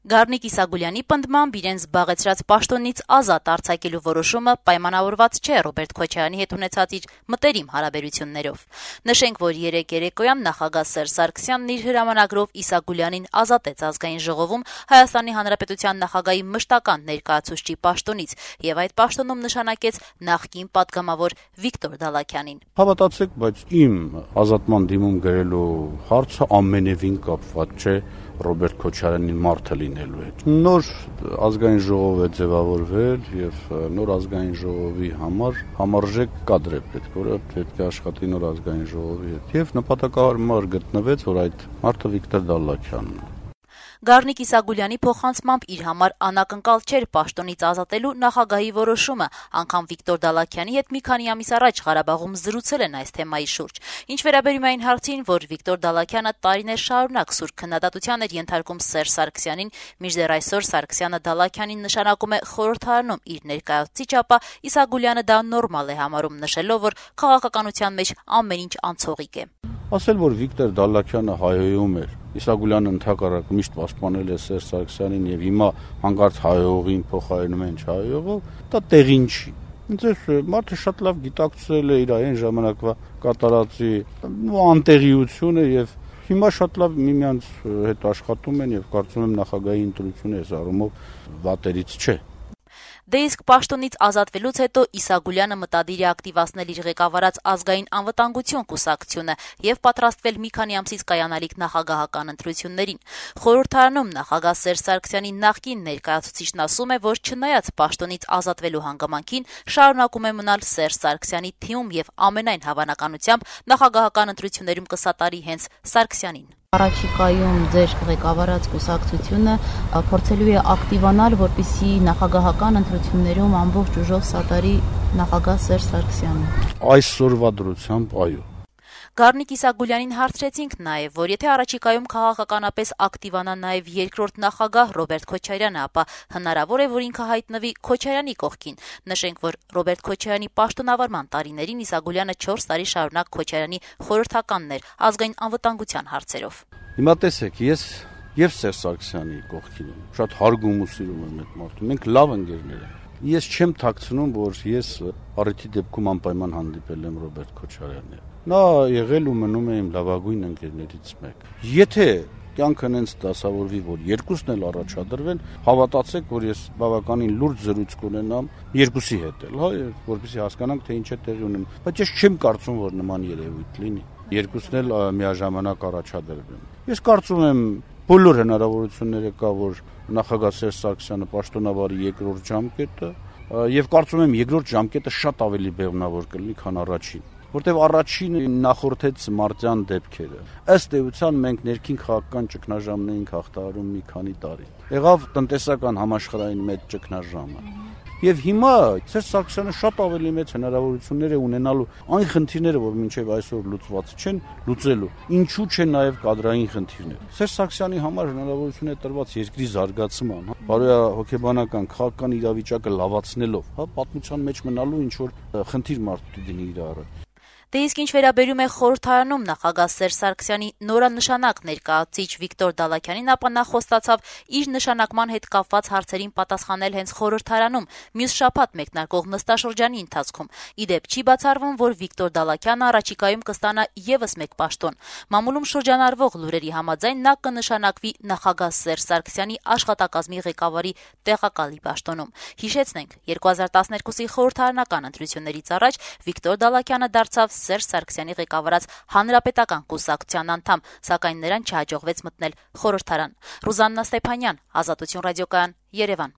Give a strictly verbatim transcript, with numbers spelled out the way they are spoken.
Գառնիկ Իսագուլյանի պնդմամբ իրեն զբաղեցրած պաշտոնից ազատ արձակելու որոշումը պայմանավորված չէ Ռոբերտ Քոչարյանի հետ ունեցած իր մտերիմ հարաբերություններով։ Նշենք, որ երեկ երեկոյան նախագահ Սերժ Սարգսյանն իր հրամանագրով Իսագուլյանին ազատեց ազգային ժողովում Հայաստանի Հանրապետության նախագահի մշտական ներկայացուցչի պաշտոնից եւ այդ պաշտոնում նշանակեց նախկին պատգամավոր Վիկտոր Դալաքյանին։ Հավատացեք, բայց իմ ազատման դիմում գրելու հարցը ամենևին կապված չէ Ռոբերտ Քոչարյանի մարդը լինելու հետ։ Նոր ազգային ժողով է ձևավորվել եւ նոր ազգային ժողովի համար համարժեք կադր է պետք, որը պետք է աշխատի նոր ազգային ժողովի հետ։ Եվ նպատակահարմար գտնվեց, որ այդ մարդը Վիկտոր Դալաքյանն է։ Գառնիկ Իսագուլյանի փոխանցմամբ իր համար անակնկալ չէր պաշտոնից ազատելու նախագահի որոշումը, անգամ Վիկտոր Դալաքյանի հետ մի քանի ամիս առաջ Ղարաբաղում զրուցել են այս թեմայի շուրջ։ Ինչ վերաբերում է այն հարցին, որ Վիկտոր Դալաքյանը տարիներ շարունակ սուր քննադատության էր ենթարկում Սերժ Սարգսյանին, մինչդեռ այսօր Սարգսյանը Դալաքյանին նշանակում է խորհրդարանում իր ներկայացուցիչ, ապա Իսագուլյանը դա նորմալ է համարում, նշելով, որ քաղաքականության մեջ ամեն ինչ անցողիկ է։ Ասել, որ Վիկտոր Դալաքյանը հայհոյում էր, Իսագուլյանը ընդհակառակը միշտ պաշտպանել է Սերժ Սարգսյանին եւ հիմա հանկարծ հայհոյողին փոխարինում են չհայհոյողով, դա տեղին չի։ Ինձ մարդը շատ լավ գիտակցել է իր այն ժամանակվա կատարածի անտեղիությունը եւ հիմա շատ լավ միմյանց հետ աշխատում են եւ կարծում եմ նախագահի ընտրությունը այս առումով վատերից չէ։ Դե իսկ պաշտոնից ազատվելուց հետո Իսագուլյանը մտադիր է ակտիվացնել իր ղեկավարած ազգային անվտանգություն կուսակցությունը եւ պատրաստվել մի քանի ամսից կայանալիք նախագահական ընտրություններին։ Խորհրդարանում նախագահ Սերժ Սարգսյանի նախկին ներկայացուցիչն ասում է, որ չնայած պաշտոնից ազատվելու հանգամանքին շարունակում է մնալ Սերժ Սարգսյանի թիմում եւ ամենայն հավանականությամբ նախագահական ընտրություններում կսատարի հենց Սարգսյանին։ Առաջիկայում ձեր ղեկավարած կուսակցությունը փորձելու է ակտիվանալ, որպեսզի նախագահական ընտրություններում ամբողջ ուժով սատարի նախագահ Սերժ Սարգսյանին։ Այսօրվա դրությամբ այո։ Գառնիկ Իսագուլյանին հարցրեցինք նաև, որ եթե առաջիկայում քաղաքականապես ակտիվանա նաև երկրորդ նախագահ Ռոբերտ Քոչարյանը, ապա հնարավոր է, որ ինքը հայտնվի Քոչարյանի կողքին։ Նշենք, որ Ռոբերտ Քոչարյանի պաշտոնավարման տարիներին Իսագուլյանը չորս տարի շարունակ Քոչարյանի խորհրդականն էր ազգային անվտանգության հարցերով։ Հիմա տեսեք, ես եւ Սերժ Սարգսյանի կողքին եմ։ Շատ հարգում ու սիրում եմ այդ մարդուն։ Մենք լավ ընկերներ ենք։ Ես չեմ թաքցնում, որ ես առիթի դեպքում անպայման հանդիպել եմ Ռոբերտ Քոչարյանին։ Նա եղել ու մնում է իմ լավագույն ընկերներից մեկը։ Եթե կյանքը նենց դասավորվի, որ երկուսն էլ առաջադրվեն, հավատացեք, որ ես բավականին լուրջ զրույց կունենամ երկուսի հետ էլ, հա, որպեսզի հասկանանք, թե ինչ է տեղի ունենում։ Բայց ես չեմ կարծում, որ նման երևույթ լինի։ Երկուսն էլ միաժամանակ առաջադրվեն։ Ես կարծում եմ, բոլոր հնարավորությունները կա, որ նախագահ Սերժ Սարգսյանը պաշտոնավարի երկրորդ ժամկետը, եւ կարծում եմ երկրորդ ժամկետը շատ ավելի բեղմնավոր կլինի, քան առաջին, որտեղ առաջինը նախորդեց մարտյան դեպքերը։ Ըստ էության մենք ներքին քաղաքական ճգնաժամն էինք հաղթահարում մի քանի տարի։ Եղավ տնտեսական համաշխարհային մեծ ճգնաժամը։ Եվ հիմա Սերժ Սարգսյանը շատ ավելի մեծ հնարավորություններ է ունենալու այն խնդիրները, որ մինչև այսօր լուծված չեն, լուծելու։ Ինչու՞ չէ նաև կադրային խնդիրներ։ Սերժ Սարգսյանի համար հնարավորություն է տրված երկրի զարգացման, հա, բարոյահոգեբանական քաղաքական իրավիճակը լավացնելով, հա, պատմության մեջ մնալու ինչ որ խնդիր մարդու դինի իր առաջ։ Դե իսկ ինչ վերաբերում է խորհրդարանում նախագահ Սերժ Սարգսյանի նորանշանակ ներկայացուցիչ Վիկտոր Դալաքյանին, ապա նա խոստացավ իր նշանակման հետ կապված հարցերին պատասխանել հենց խորհրդարանում մյուս շաբաթ մեկնարկող նստաշրջանի ընթացքում։ Ի դեպ, չի բացառվում, որ Վիկտոր Դալաքյանը առաջիկայում կստանա եւս մեկ պաշտոն։ Մամուլում շրջանառվող լուրերի համաձայն նա կնշանակվի նախագահ Սերժ Սարգսյանի աշխատակազմի ղեկավարի տեղակալի պաշտոնում։ Հիշեցնենք, երկու հազար տասներկուսի խորհրդարանական ընտրություններից առաջ Վիկտոր Դալաքյանը դարձավ Սերժ Սարգսյանի ղեկավարած Հանրապետական կուսակցության անդամ, սակայն նրան չհաջողվեց մտնել խորհրդարան։ Ռուզաննա Ստեփանյան, Ազատություն ռադիոկայան, Երևան։